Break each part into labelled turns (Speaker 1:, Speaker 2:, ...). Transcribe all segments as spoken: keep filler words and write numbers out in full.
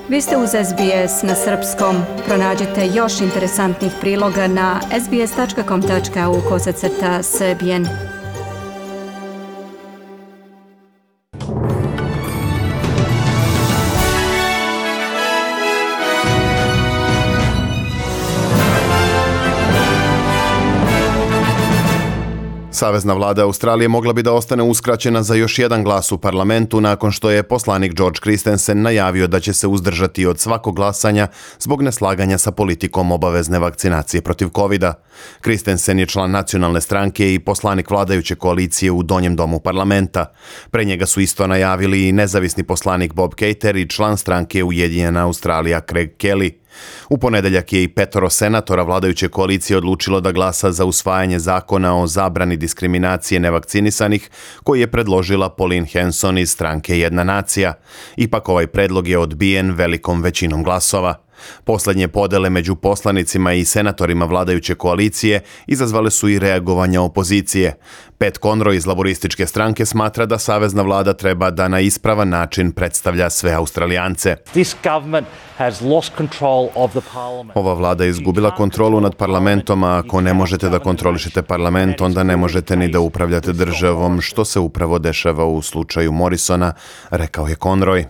Speaker 1: Vi ste uz S B S na srpskom. Pronađite još interesantnih priloga na sbs.com.au kosacrta srbijen.
Speaker 2: Savezna vlada Australije mogla bi da ostane uskraćena za još jedan glas u parlamentu nakon što je poslanik George Christensen najavio da će se uzdržati od svakog glasanja zbog neslaganja sa politikom obavezne vakcinacije protiv kovida. Christensen je član nacionalne stranke i poslanik vladajuće koalicije u donjem domu parlamenta. Pre njega su isto najavili i nezavisni poslanik Bob Kater i član stranke Ujedinjena Australija Craig Kelly. U ponedeljak je i petoro senatora vladajuće koalicije odlučilo da glasa za usvajanje zakona o zabrani diskriminacije nevakcinisanih koji je predložila Pauline Hanson iz stranke Jedna nacija. Ipak ovaj predlog je odbijen velikom većinom glasova. Poslednje podele među poslanicima i senatorima vladajuće koalicije izazvale su i reagovanja opozicije. Pat Conroy iz laborističke stranke smatra da savezna vlada treba da na ispravan način predstavlja sve Australijance. Ova vlada je izgubila kontrolu nad parlamentom, a ako ne možete da kontrolišete parlament, onda ne možete ni da upravljate državom, što se upravo dešava u slučaju Morrisona, rekao je Conroy.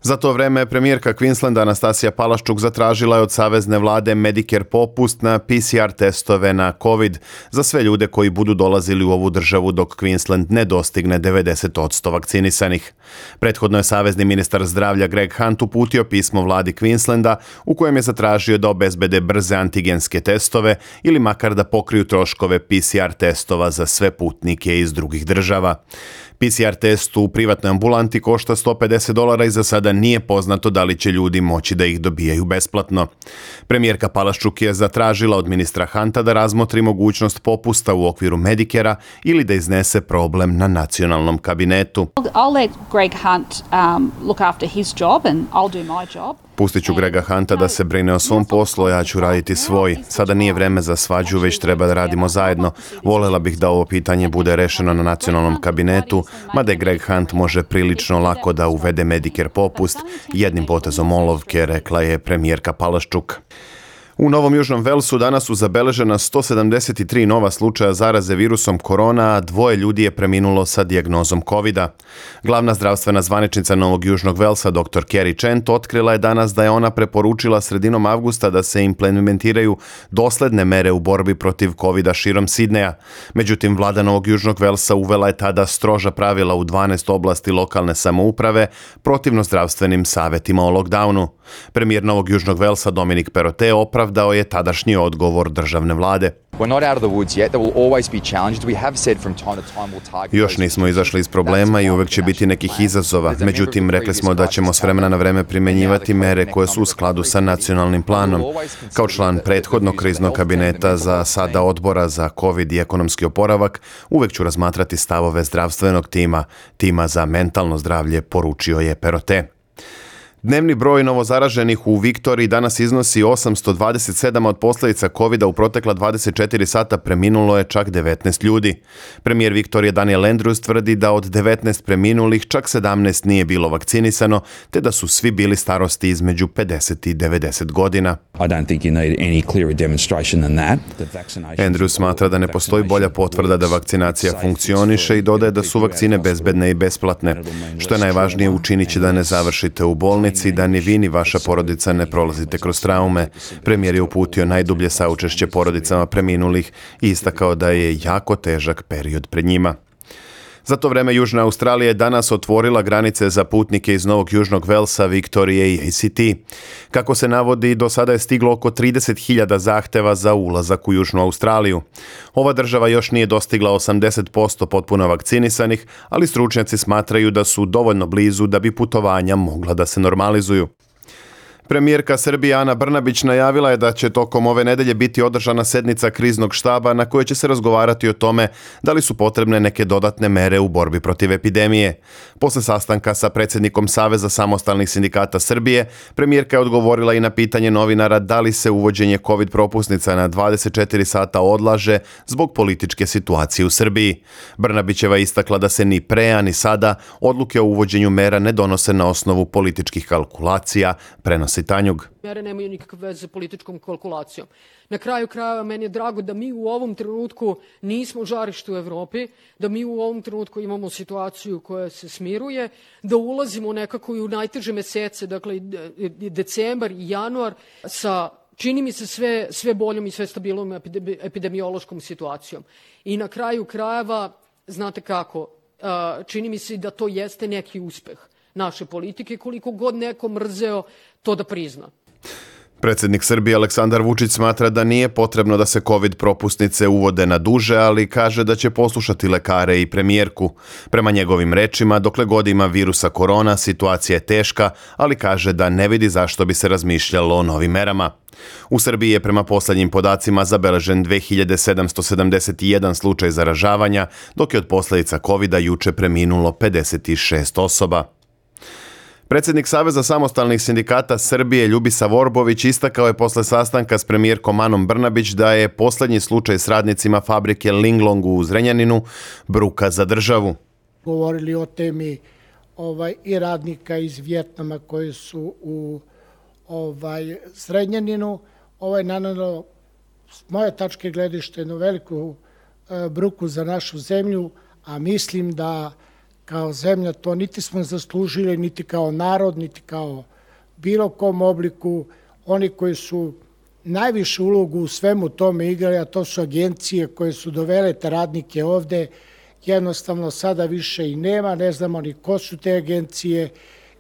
Speaker 2: Za to vreme premijerka Queenslanda Anastasija Palaszczuk zatražila je od savezne vlade Medicare popust na P C R testove na COVID za sve ljude koji budu dolazili u ovu državu dok Queensland ne dostigne devedeset posto vakcinisanih. Prethodno je savezni ministar zdravlja Greg Hunt uputio pismo vladi Queenslanda u kojem je zatražio da obezbede brze antigenske testove ili makar da pokriju troškove P C R testova za sve putnike iz drugih država. P C R test u privatnoj ambulanti košta sto pedeset dolara i za sada nije poznato da li će ljudi moći da ih dobijaju besplatno. Premijerka Palaszczuk je zatražila od ministra Hunta da razmotri mogućnost popusta u okviru Medicare-a ili da iznese problem na nacionalnom kabinetu.
Speaker 3: I'll let Greg Hunt um, look after his job and I'll do my job.
Speaker 2: Pustit ću Grega Hunta da se brine o svom poslu, ja ću raditi svoj. Sada nije vreme za svađu, već treba da radimo zajedno. Volela bih da ovo pitanje bude rešeno na nacionalnom kabinetu, mada Greg Hunt može prilično lako da uvede Medicare popust jednim potezom olovke, rekla je premijerka Palaszczuk. U Novom Južnom Velsu danas su zabeležena sto sedamdeset tri nova slučaja zaraze virusom korona, a dvoje ljudi je preminulo sa dijagnozom kovida. Glavna zdravstvena zvaničnica Novog Južnog Velsa, dr Kerry Chant, otkrila je danas da je ona preporučila sredinom avgusta da se implementiraju dosledne mere u borbi protiv kovida širom Sidneja. Međutim, vlada Novog Južnog Velsa uvela je tada stroža pravila u dvanaest oblasti lokalne samouprave protivno zdravstvenim savetima o lockdownu. Premijer Novog Južnog Velsa Dominic Perrottet opravdao je tadašnji odgovor državne vlade. Još nismo izašli iz problema i uvek će biti nekih izazova. Međutim, rekli smo da ćemo s vremena na vreme primjenjivati mere koje su u skladu sa nacionalnim planom. Kao član prethodnog kriznog kabineta za sada odbora za COVID i ekonomski oporavak, uvek ću razmatrati stavove zdravstvenog tima, tima za mentalno zdravlje, poručio je Perrottet. Dnevni broj novozaraženih u Viktoriji danas iznosi osamsto dvadeset sedam, od posljedica kovida u protekla dvadeset četiri sata preminulo je čak devetnaest ljudi. Premijer Viktorije Daniel Andrews tvrdi da od devetnaest preminulih čak sedamnaest nije bilo vakcinisano, te da su svi bili starosti između pedeset i devedeset godina. Andrews smatra da ne postoji bolja potvrda da vakcinacija funkcioniše i dodaje da su vakcine bezbedne i besplatne. Što je najvažnije, učinit će da ne završite u bolnici i da ni vi ni vaša porodica ne prolazite kroz traume. Premijer je uputio najdublje saučešće porodicama preminulih i istakao da je jako težak period pred njima. Za to vreme Južna Australija je danas otvorila granice za putnike iz Novog Južnog Velsa, Viktorije i A C T. Kako se navodi, do sada je stiglo oko trideset hiljada zahteva za ulazak u Južnu Australiju. Ova država još nije dostigla osamdeset posto potpuno vakcinisanih, ali stručnjaci smatraju da su dovoljno blizu da bi putovanja mogla da se normalizuju. Premijerka Srbije Ana Brnabić najavila je da će tokom ove nedelje biti održana sednica kriznog štaba na kojoj će se razgovarati o tome da li su potrebne neke dodatne mere u borbi protiv epidemije. Posle sastanka sa predsjednikom Saveza samostalnih sindikata Srbije, premijerka je odgovorila i na pitanje novinara da li se uvođenje COVID propusnica na dvadeset četiri sata odlaže zbog političke situacije u Srbiji. Brnabićeva je istakla da se ni pre, a ni sada odluke o uvođenju mera ne donose na osnovu političkih kalkulacija, prenosi Tanjug.
Speaker 4: Mere nemaju nikakve veze sa političkom kalkulacijom. Na kraju krajeva meni je drago da mi u ovom trenutku nismo žarište u Evropi, da mi u ovom trenutku imamo situaciju koja se smiruje, da ulazimo nekako i u najteže mesece, dakle decembar i januar, sa čini mi se sve, sve boljom i sve stabilnom epidemiološkom situacijom. I na kraju krajeva, znate kako, čini mi se da to jeste neki uspeh naše politike, koliko god neko mrzeo to da prizna.
Speaker 2: Predsjednik Srbije Aleksandar Vučić smatra da nije potrebno da se COVID propusnice uvode na duže, ali kaže da će poslušati lekare i premijerku. Prema njegovim rečima, dokle god ima virusa korona, situacija je teška, ali kaže da ne vidi zašto bi se razmišljalo o novim merama. U Srbiji je prema poslednjim podacima zabeležen dve hiljade sedamsto sedamdeset jedan slučaj zaražavanja, dok je od posljedica kovida juče preminulo pedeset šest osoba. Predsjednik Saveza samostalnih sindikata Srbije Ljubisa Vorbović istakao je posle sastanka s premijerkom Anom Brnabić da je posljednji slučaj s radnicima fabrike Linglong u Zrenjaninu bruka za državu.
Speaker 5: Govorili o temi ovaj, i radnika iz Vjetnama koji su u ovaj, Zrenjaninu. Ovaj, naravno, s moje tačke gledište, jednu veliku e, bruku za našu zemlju, a mislim da kao zemlja to niti smo zaslužili, niti kao narod, niti kao bilo kom obliku. Oni koji su najvišu ulogu u svemu tome igrali, a to su agencije koje su dovele te radnike ovde, jednostavno sada više i nema, ne znamo ni ko su te agencije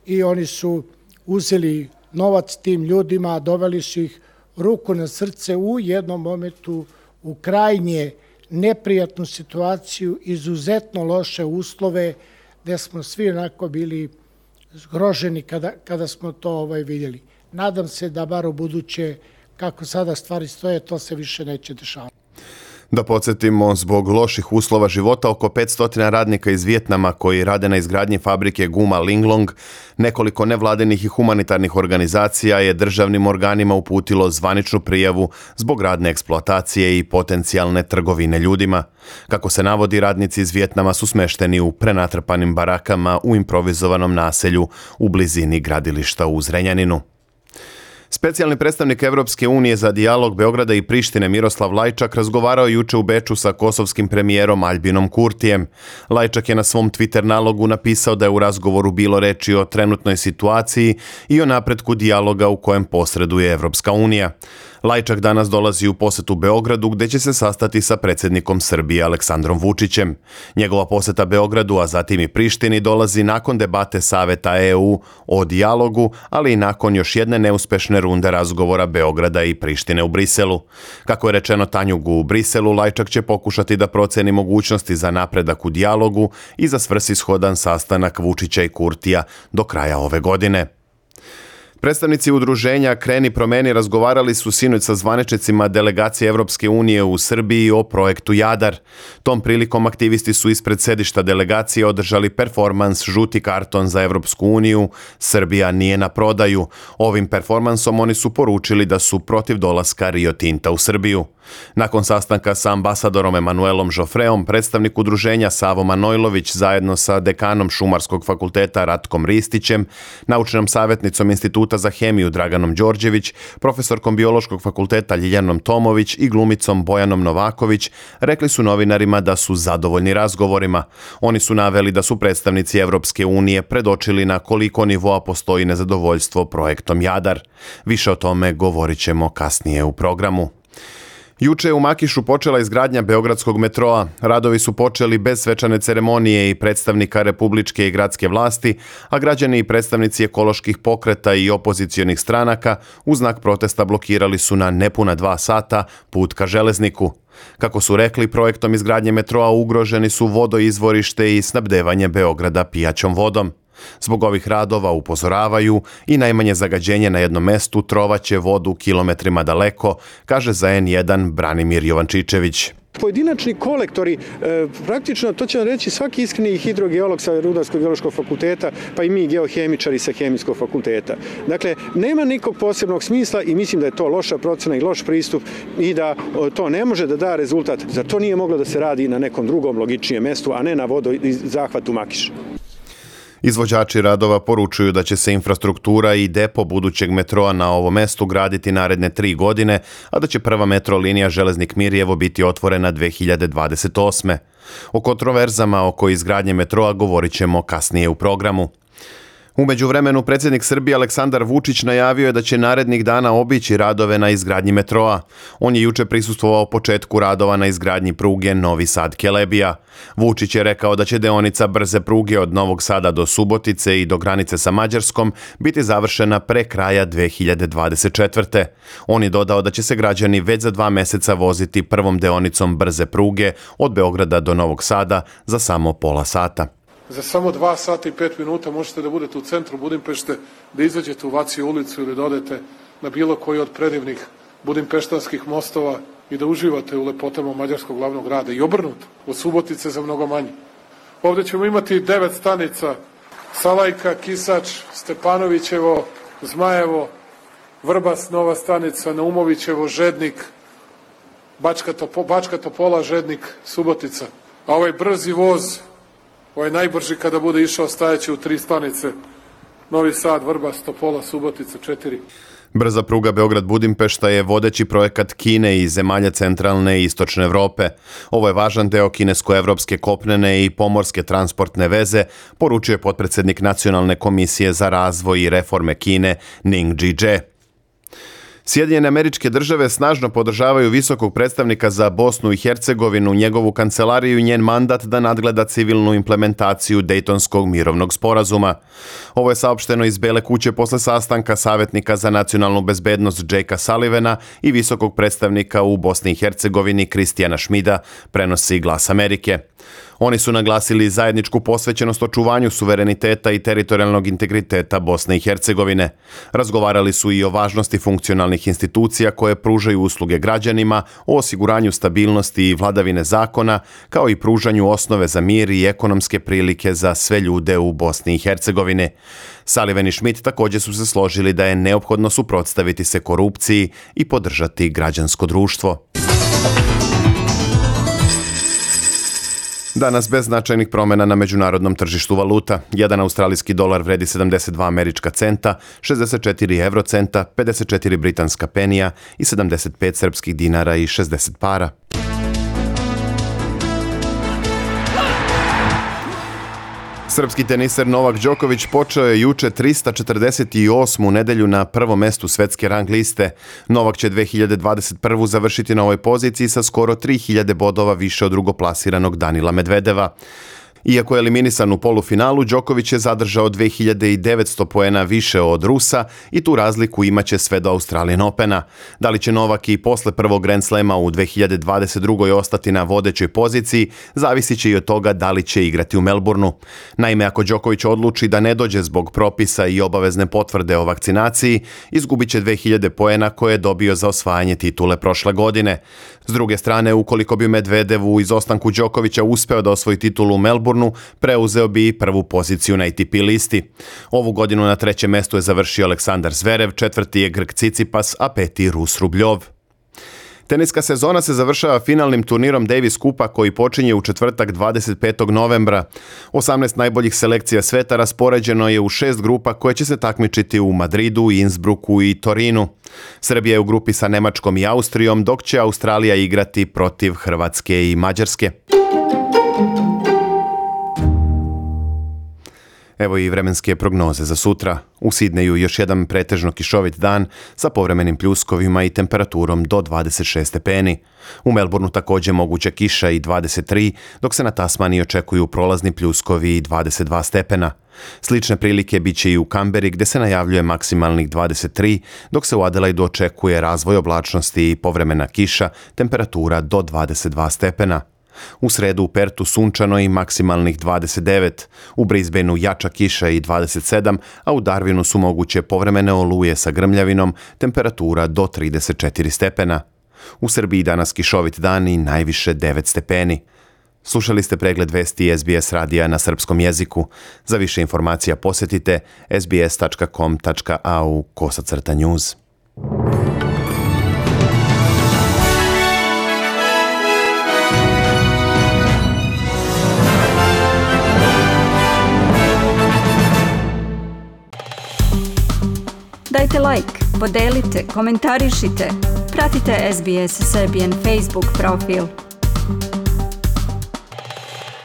Speaker 5: i oni su uzeli novac tim ljudima, doveli su ih ruku na srce u jednom momentu u krajnje neprijatnu situaciju, izuzetno loše uslove, gde smo svi onako bili zgroženi kada, kada smo to ovaj, vidjeli. Nadam se da bar u buduće, kako sada stvari stoje, to se više neće dešavati.
Speaker 2: Da podsjetimo, zbog loših uslova života oko petsto radnika iz Vjetnama koji rade na izgradnji fabrike guma Linglong, nekoliko nevladinih i humanitarnih organizacija je državnim organima uputilo zvaničnu prijavu zbog radne eksploatacije i potencijalne trgovine ljudima. Kako se navodi, radnici iz Vjetnama su smešteni u prenatrpanim barakama u improvizovanom naselju u blizini gradilišta u Zrenjaninu. Specijalni predstavnik Evropske unije za dijalog Beograda i Prištine Miroslav Lajčak razgovarao juče u Beču sa kosovskim premijerom Aljbinom Kurtijem. Lajčak je na svom Twitter nalogu napisao da je u razgovoru bilo reči o trenutnoj situaciji i o napretku dijaloga u kojem posreduje Evropska unija. Lajčak danas dolazi u posetu Beogradu gde će se sastati sa predsjednikom Srbije Aleksandrom Vučićem. Njegova poseta Beogradu, a zatim i Prištini, dolazi nakon debate Saveta E U o dijalogu, ali i nakon još jedne neuspešne runde razgovora Beograda i Prištine u Briselu. Kako je rečeno Tanjugu u Briselu, Lajčak će pokušati da proceni mogućnosti za napredak u dijalogu i za svrsishodan sastanak Vučića i Kurtija do kraja ove godine. Predstavnici udruženja Kreni promeni razgovarali su sinoć sa zvaničnicima delegacije Evropske unije u Srbiji o projektu Jadar. Tom prilikom aktivisti su ispred sedišta delegacije održali performans Žuti karton za Evropsku uniju, Srbija nije na prodaju. Ovim performansom oni su poručili da su protiv dolaska Rio Tinta u Srbiju. Nakon sastanka sa ambasadorom Emanuelom Žofreom, predstavnik udruženja Savo Manojlović zajedno sa dekanom Šumarskog fakulteta Ratkom Ristićem, naučnom savjetnicom Instituta za hemiju Draganom Đorđević, profesorkom Biološkog fakulteta Ljiljanom Tomović i glumicom Bojanom Novaković rekli su novinarima da su zadovoljni razgovorima. Oni su naveli da su predstavnici Evropske unije predočili na koliko nivoa postoji nezadovoljstvo projektom Jadar. Više o tome govorit ćemo kasnije u programu. Juče je u Makišu počela izgradnja Beogradskog metroa. Radovi su počeli bez svečane ceremonije i predstavnika republičke i gradske vlasti, a građani i predstavnici ekoloških pokreta i opozicionih stranaka u znak protesta blokirali su na nepuna dva sata put ka železniku. Kako su rekli, projektom izgradnje metroa ugroženi su vodoizvorište i snabdevanje Beograda pijaćom vodom. Zbog ovih radova, upozoravaju, i najmanje zagađenje na jednom mestu trovaće vodu kilometrima daleko, kaže za en jedan Branimir Jovančičević.
Speaker 6: Pojedinačni kolektori, e, praktično, to će vam reći svaki iskreni hidrogeolog sa Rudarsko-geološkog fakulteta, pa i mi geohemičari sa Hemijskog fakulteta. Dakle, nema nikog posebnog smisla i mislim da je to loša procena i loš pristup i da o, to ne može da da rezultat. Zar to nije moglo da se radi na nekom drugom logičnijem mestu, a ne na vodozahvatu Makiš?
Speaker 2: Izvođači radova poručuju da će se infrastruktura i depo budućeg metroa na ovom mestu graditi naredne tri godine, a da će prva metro linija Železnik-Mirjevo biti otvorena dve hiljade dvadeset osme. O kontroverzama oko izgradnje metroa govorit ćemo kasnije u programu. U međuvremenu predsjednik Srbije Aleksandar Vučić najavio je da će narednih dana obići radove na izgradnji metroa. On je juče prisustvovao početku radova na izgradnji pruge Novi Sad-Kelebija. Vučić je rekao da će deonica brze pruge od Novog Sada do Subotice i do granice sa Mađarskom biti završena pre kraja dve hiljade dvadeset četvrte. On je dodao da će se građani već za dva meseca voziti prvom deonicom brze pruge od Beograda do Novog Sada za samo pola sata.
Speaker 7: Za samo dva sata i pet minuta možete da budete u centru Budimpešte, da izađete u Vacije ulicu ili da odete na bilo koji od predivnih budimpeštanskih mostova i da uživate u lepotama mađarskog glavnog grada i obrnuto, od Subotice za mnogo manje. Ovdje ćemo imati devet stanica: Salajka, Kisač, Stepanovićevo, Zmajevo, Vrbas, nova stanica, Naumovićevo, Žednik, Bačka, Topo, Bačka Topola, Žednik, Subotica. A ovaj brzi voz, ovaj najbrži kada bude išao, stajaće u tri stanice: Novi Sad, Vrbas, Topola, Subotica, četiri.
Speaker 2: Brza pruga Beograd-Budimpešta je vodeći projekat Kine i zemalja centralne i istočne Evrope. Ovo je važan deo kinesko-evropske kopnene i pomorske transportne veze, poručuje potpredsjednik Nacionalne komisije za razvoj i reforme Kine Ning Jie. Sjedinjene Američke Države snažno podržavaju visokog predstavnika za Bosnu i Hercegovinu, njegovu kancelariju i njen mandat da nadgleda civilnu implementaciju Dejtonskog mirovnog sporazuma. Ovo je saopšteno iz Bele kuće posle sastanka savjetnika za nacionalnu bezbednost Jakea Sullivana i visokog predstavnika u Bosni i Hercegovini Kristijana Šmida, prenosi Glas Amerike. Oni su naglasili zajedničku posvećenost očuvanju suvereniteta i teritorijalnog integriteta Bosne i Hercegovine. Razgovarali su i o važnosti funkcionalnih institucija koje pružaju usluge građanima, o osiguranju stabilnosti i vladavine zakona, kao i pružanju osnove za mir i ekonomske prilike za sve ljude u Bosni i Hercegovini. Sullivan i Schmidt također su se složili da je neophodno suprotstaviti se korupciji i podržati građansko društvo. Danas bez značajnih promjena na međunarodnom tržištu valuta. Jedan australijski dolar vredi sedamdeset dva američka centa, šezdeset četiri evrocenta, pedeset četiri britanska penija i sedamdeset pet srpskih dinara i šezdeset para. Srpski teniser Novak Đoković počeo je juče trista četrdeset osmu nedelju na prvom mestu svetske rang liste. Novak će dve hiljade dvadeset prvu završiti na ovoj poziciji sa skoro tri hiljade bodova više od drugoplasiranog Danila Medvedeva. Iako je eliminisan u polufinalu, Đoković je zadržao dve hiljade devetsto poena više od Rusa i tu razliku imaće sve do Australian Opena. Da li će Novak i posle prvog Grand Slema u dve hiljade dvadeset drugoj ostati na vodećoj poziciji, zavisit će i od toga da li će igrati u Melbourneu. Naime, ako Đoković odluči da ne dođe zbog propisa i obavezne potvrde o vakcinaciji, izgubit će dve hiljade poena koje je dobio za osvajanje titule prošle godine. S druge strane, ukoliko bi Medvedev u izostanku Đokovića uspeo da osvoji titulu u Melbourneu, preuzeo bi prvu poziciju na A T P listi. Ovu godinu na trećem mestu je završio Aleksandar Zverev, četvrti je Grk Cicipas, a peti Rus Rubljov. Teniska sezona se završava finalnim turnirom Davis Kupa koji počinje u četvrtak dvadeset petog novembra. osamnaest najboljih selekcija sveta raspoređeno je u šest grupa koje će se takmičiti u Madridu, Innsbrucku i Torinu. Srbija je u grupi sa Nemačkom i Austrijom, dok će Australija igrati protiv Hrvatske i Mađarske. Evo i vremenske prognoze za sutra. U Sidneju još jedan pretežno kišovit dan sa povremenim pljuskovima i temperaturom do dvadeset šest stepeni. U Melbourneu također moguća kiša i dvadeset tri, dok se na Tasmaniji očekuju prolazni pljuskovi i dvadeset dva stepena. Slične prilike bit će i u Kamberi gdje se najavljuje maksimalnih dvadeset tri, dok se u Adelaidu očekuje razvoj oblačnosti i povremena kiša, temperatura do dvadeset dva stepena. U sredu u Pertu sunčano i maksimalnih dvadeset devet, u Brisbaneu jača kiša i dvadeset sedam, a u Darwinu su moguće povremene oluje sa grmljavinom, temperatura do trideset četiri stepena. U Srbiji danas kišovit dan i najviše devet stepeni. Slušali ste pregled vesti S B S radija na srpskom jeziku. Za više informacija posjetite s b s tačka com tačka a u kosacrta news.
Speaker 1: Dajte like, podelite, komentarišite. Pratite S B S Serbian Facebook profil.